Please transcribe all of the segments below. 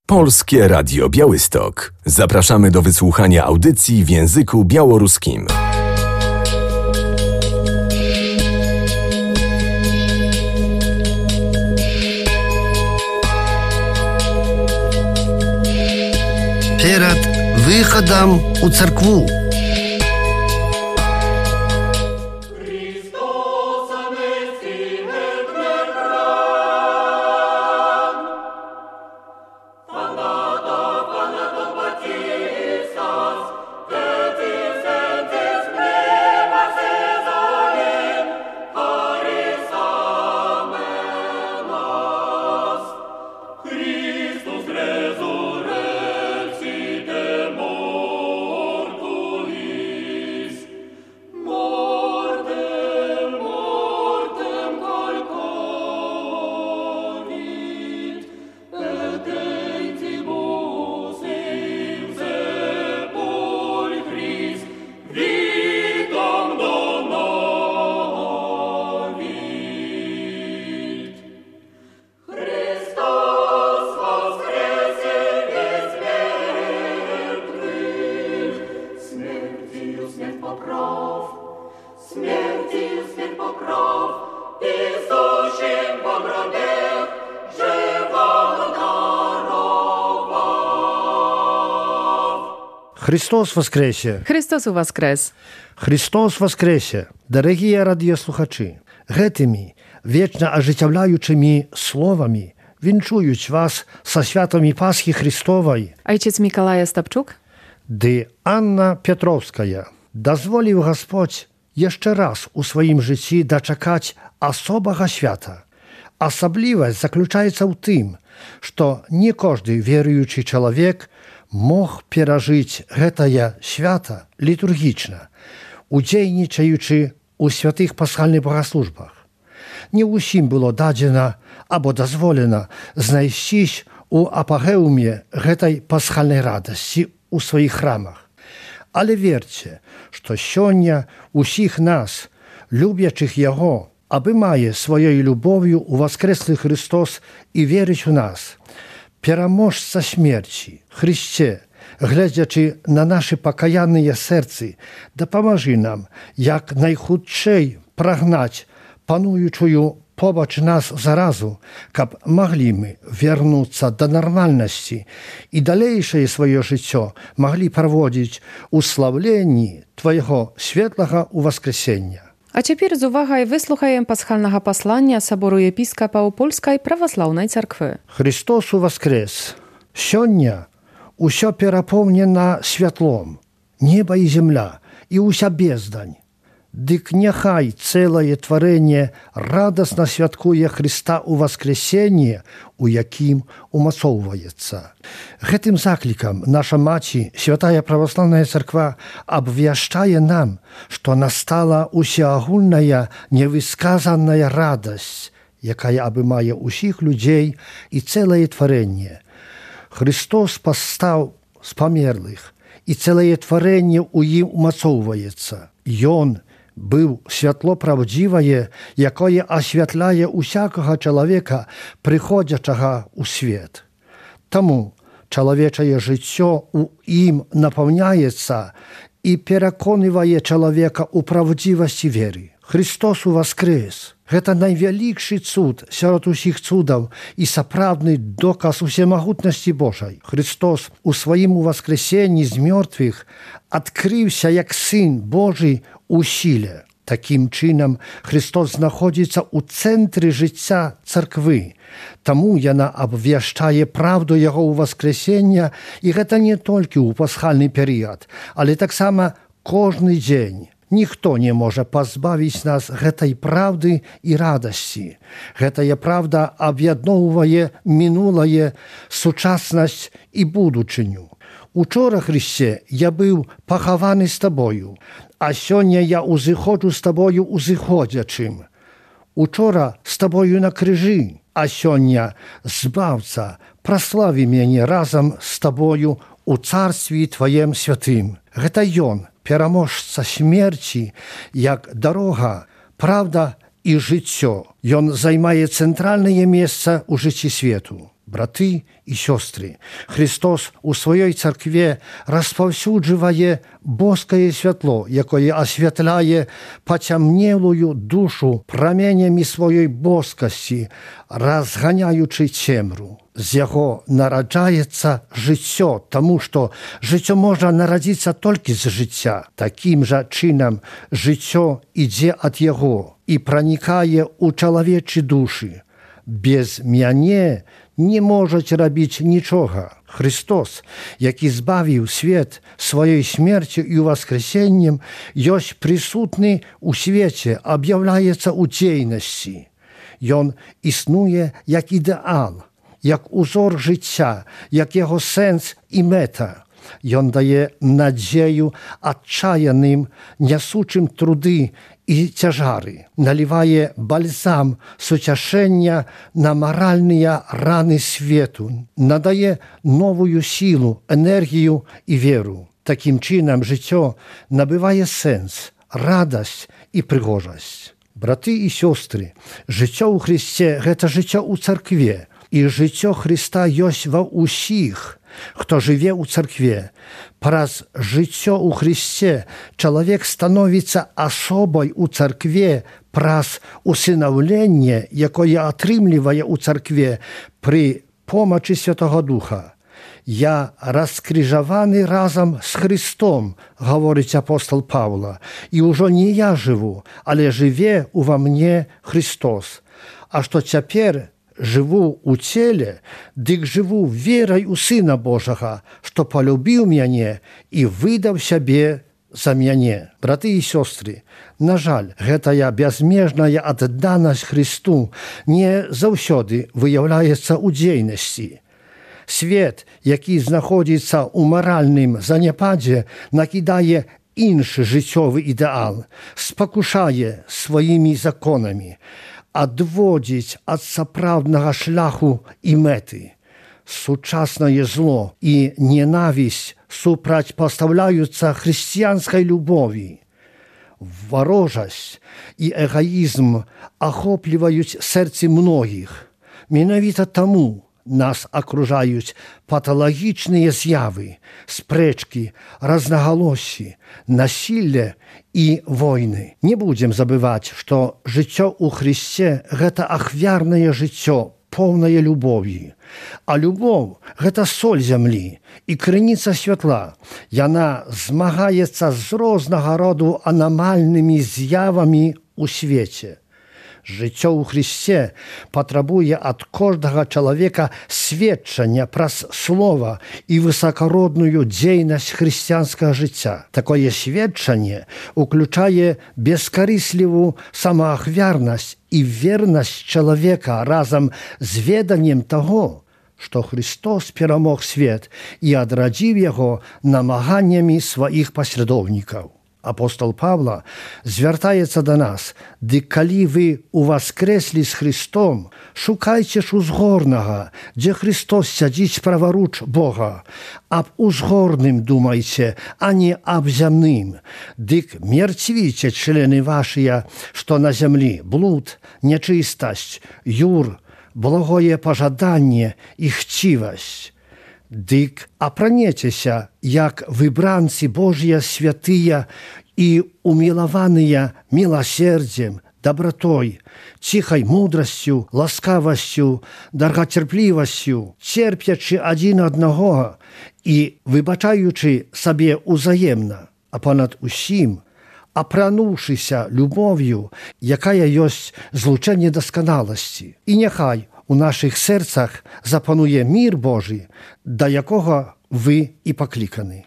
Polskie Radio Białystok. Zapraszamy do wysłuchania audycji w języku białoruskim. Перед выходом у церкву. Христос воскресе! Христос воскрес! Христос воскресе! Дорогие радиослухачи, гэтымі вечна ажыццяўляючымі словамі віншуюць вас са святамі Пасхі Христовай Ojciec Mikołaj Ostapczuk ды Анна Петровская. Дазволіў Гасподзь яшчэ раз у сваім жыцці дачакаць асобага свята. Асаблівасць заключаецца ў тым, што не кожны веруючы чалавек мог перажыць гэтае свята літургічна, удзельнічаючы ў святых пасхальных богаслужбах. Не ўсім было дадзена або дазволена знайсцісь у апагеуме гэтай пасхальнай радасці ў сваіх храмах. Але верце, што сёння усіх нас, любячых яго, абымае сваёй любов'ю у воскреслы Христос і верыць у нас, пераможца смерці, Христе, глядзячы на нашы пакаянныя сэрцы, дапамажы нам, як найхутчэй прагнаць пануючую побач нас заразу, каб маглі мы вярнуцца да нармальнасці і далейшае сваё жыццё маглі праводзіць у слаўленні Твайго светлага ўваскрэсення. A цяпер з увагай выслухаем пасхальнага паслання сабору епіскапаў Польскай праваслаўнай царквы. Христос воскрес! Сёння усё перапоўнена святлом, неба і земля, і ўся бездань. Дык няхай цэлае тварэнне радасна святкуе Христа ў воскресенне, у якім умацоўваецца. Гэтым заклікам наша маці, святая праваслаўная царква, абвяшчае нам, што настала усеагульная невысказаная радасць, якая абымае ўсіх людзей і цэлае тварэнне. Христос пастаў з памерлых, і цэлае тварэнне ў ім умацоўваецца. Ён быў святло праўдзівае, якое асвятляе усякага чалавека, прыходзячага ў свет. Таму чалавечае жыццё ў ім напаўняецца і пераконвае чалавека ў правдзівасці веры. Христос воскрес! Гэта найвялікшы цуд сярод усіх цудаў і сапраўдны доказ усемагутнасці Божай. Христос у сваім уваскрэсенні з мёртвых адкрыўся як Сын Божий у сіле. Такім чынам Христос знаходзіцца ў цэнтры жыцця царквы. Таму яна абвяшчае праўду яго ўваскрэсення, і гэта не толькі ў пасхальны перыяд, але таксама кожны дзень. Ніхто не можа пазбавіць нас гэтай праўды і радасці. Гэтая праўда аб'ядноўвае мінулае, сучаснасць і будучыню. Учора, Христе, я быў пахаваны з табою, а сёння я узыходжу з табою узыходзячым. Учора з табою на крыжы, а сёння, Збаўца, праславі мяне разам з табою у царстві Тваем святым. Гэта Ён, пераможца смерці, як дарога, правда і жыццё. Ён займае цэнтральнае месца ў жыцці свету. Браты і сёстры, Христос у сваёй царкве распаўсюджвае боскае святло, якое асвятляе пацямнелую душу праменямі сваёй боскасці, разганяючы цемру. З яго нараджаецца жыццё, таму што жыццё можа нарадзіцца толькі з жыцця. Такім жа чынам жыццё ідзе ад яго і пранікае ў чалавечы душы. Без мяне не можаць рабіць нічога. Христос, які збавіў свет сваёй смерцю і ўваскрэсеннем, ёсць прысутны ў свеце, аб'яўляецца ў дзейнасці. Ён існуе як ідэал, як узор жыцця, як яго сэнс і мэта. Ён дае надзею адчаяным, нясучым труды і цяжары, налівае бальзам суцяшэння на маральныя раны свету, надае новую сілу, энергію і веру. Такім чынам жыццё набывае сэнс, радасць і прыгожасць. Браты і сёстры, жыццё ў Христе – гэта жыццё ў царкве, і жыццё Христа ёсць ва ўсіх, хто жыве ў царкве. Праз жыццё ў Христе чалавек становіцца асобай у царкве праз усынаўленне, якое атрымлівае ў царкве пры помачы Святого Духа. «Я раскрыжаваны разам з Христом», гаворыць апостол Паўла, «і ўжо не я жыву, але жыве ува мне Христос. А што цяпер жыву ў целе, дык жыву верай у Сына Божага, што палюбіў мяне і выдаў сябе за мяне». Браты і сёстры, на жаль, гэтая бязмежная адданасць Христу не заўсёды выяўляецца ў дзейнасці. Свет, які знаходзіцца ў маральным заняпадзе, накідае іншы жыццёвы ідэал, спакушае сваімі законамі, адводзіць ад сапраўднага шляху і мэты. Сучаснае зло і ненавісць супрацьпастаўляюцца хрысціянскай любові. Варожасць і эгаізм ахопліваюць сэрцы многіх. Менавіта таму нас акружаюць паталагічныя з'явы, спрэчкі, рознагалоссі, насілле і войны. Не будзем забываць, што жыццё ў Христе – гэта ахвярнае жыццё, поўнае любові. А любоў – гэта соль зямлі і крыніца святла. Яна змагаецца з рознага роду анамальнымі з'явамі ў свеце. Жыццё ў Христе патрабуе ад кожнага чалавека сведчання праз слова і высакародную дзейнасць хрысціянскага жыцця. Такое сведчанне уключае бескарыслівую самаахвярнасць і вернасць чалавека разам з веданнем таго, што Христос перамог свет і адрадзіў яго намаганнямі сваіх паслядоўнікаў. Апостол Павла звяртаецца да нас: «Дык калі вы уваскрэслі з Христом, шукайце ж узгорнага, дзе Христос сядзіць праваруч Бога. Аб узгорным думайце, а не аб зямным. Дык мерцвіце члены вашыя, што на зямлі: блуд, нячыстасць, юр, благое пажаданне і хцівасць. Дык апранецеся, як выбранцы Божыя святыя і умілаваныя міласердзем, добротой, ціхай мудрасцю, ласкавасцю, даргацярплівасцю, церпячы адзін аднаго і выбачаючы сабе ўзаемна, а понад усім апрануўшыся любов'ю, якая ёсць злучэнне дасканаласці. І няхай у нашых сэрцах запануе мір Божий, да якога вы і пакліканы.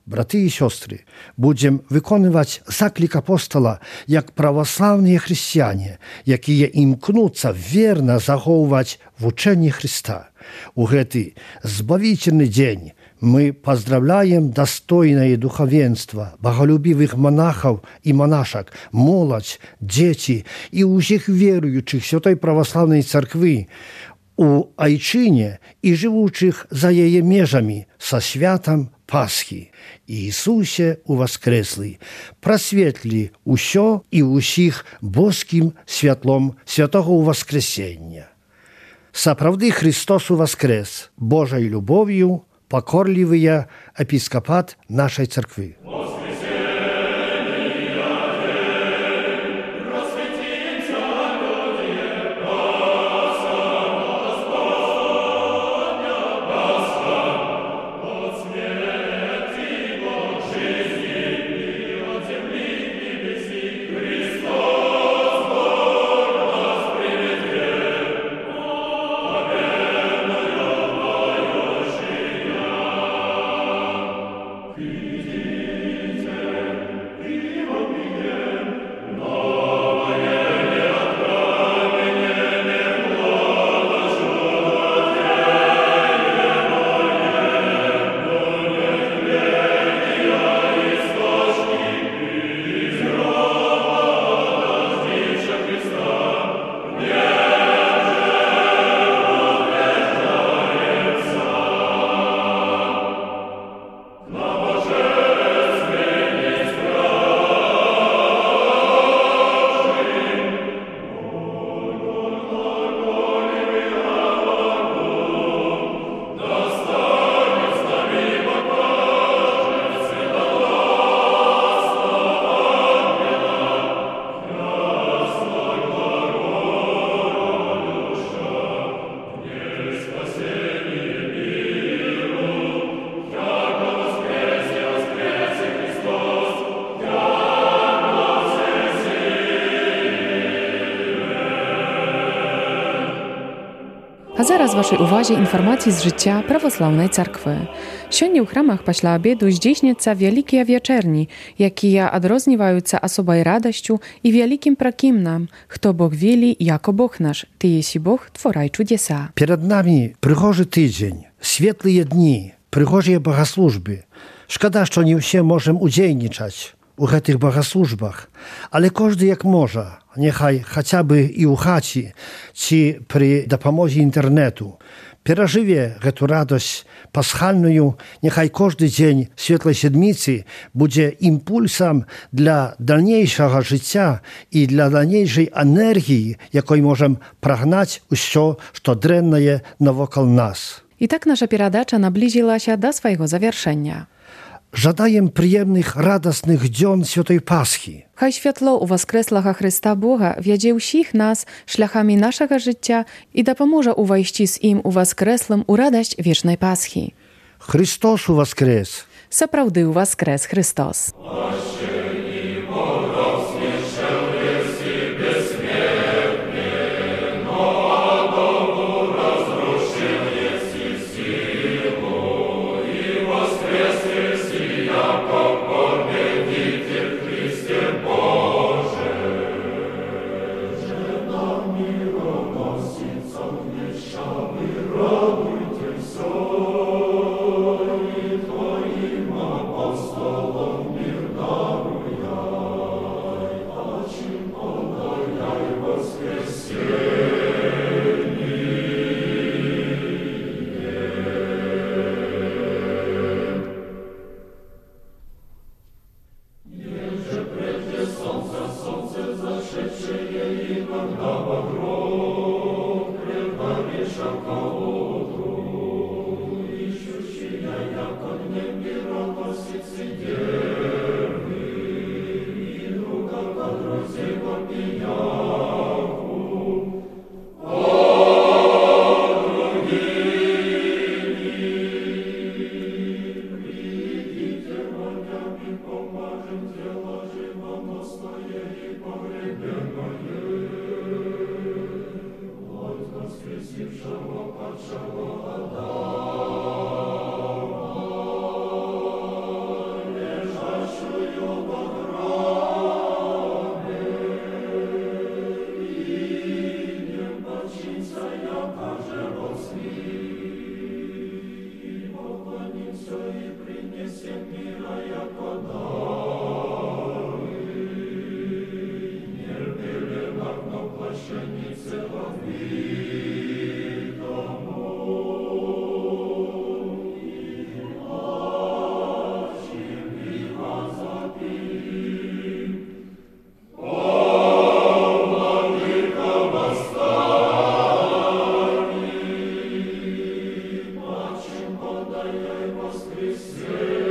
Браты і сёстры, будзем выконваць заклік апостала як праваслаўныя хрысціяне, якія імкнуцца верна захоўваць вучэнне Христа. У гэты збавительны дзень мы поздравляем достойное духовенство, боголюбивых монахов и монашек, молодь, дети и усіх верующих Святой Православной Церкви у Айчине и живущих за ее межами со святом Пасхи. Ісусе уваскреслий, просвітлі усьо і усіх боским святлом святого Воскресення. Сапраўды Христос уваскрес, Божай любов'ю, покорливый епископат нашей церкви. А зараз вашій увазі інформації з життя православної церкви. Сьогодні у храмах після обіду здійсняться великі вечерні, які відрізнюються особою радостю і великим прокимном, хто Бог вели, яко Бог наш, ти єси Бог, творай чудеса. Перед нами пригожий тиждень, світлі дні, пригожі богослужби. Шкода, що не всі можемо удзельнічати у гэтых богослужбах, але кожны як можа, нехай хаця бы і ў хаце, ці пры дапамозе інтэрнэту, перажыве гэту радасць пасхальную, няхай кожны дзень светлай седміцы будзе імпульсам для дальнейшага жыцця і для дальнейшай энергіі, якой можам прагнаць усё, што дрэннае навокал нас. I tak nasza передача наблизилася до своего завершения. Żadajem przyjemnych, radosnych dzień Świętej Paschy. Хай światło u Воскреслого Христа Бога wiedzie всіх нас шляхами нашого життя і допоможе увійти з Им у Воскреслим у радость вічної Пасхи. Христос у Воскрес! Сапраўды у Воскрес Христос! воскресенье.